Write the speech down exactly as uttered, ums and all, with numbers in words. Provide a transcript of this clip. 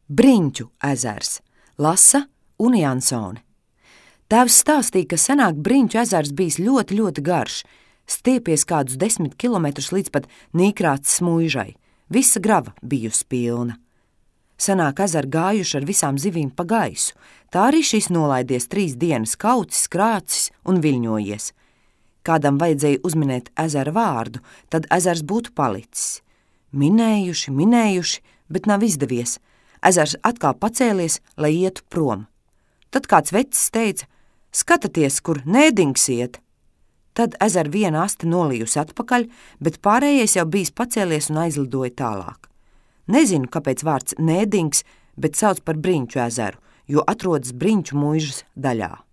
Briņķu ezers, lasa Une Jansone. Tēvs stāstīja, ka senāk Briņķu ezers bijis ļoti, ļoti garš, stiepies kādus desmit kilometrus līdz pat Nīkrāts Smuižai. Visa grava bijusi pilna. Senāk ezeri gājuši ar visām zivīm pa gaisu, tā arī šis nolaidies trīs dienas kaucis, krācis un viļņojies. Kādam vajadzēja uzminēt ezera vārdu, tad ezers būtu palicis. Minējuši, minējuši, bet nav izdevies. Ezers atkal pacēlies, lai ietu prom. Tad kāds vecis teica: "Skatāties, kur nēdings iet!" Tad ezera viena aste nolījusi atpakaļ, bet pārējais jau bijis pacēlies un aizlidoja tālāk. Nezinu, kāpēc vārds nēdings, bet sauc par Briņķu ezeru, jo atrodas Briņķu muižas daļā.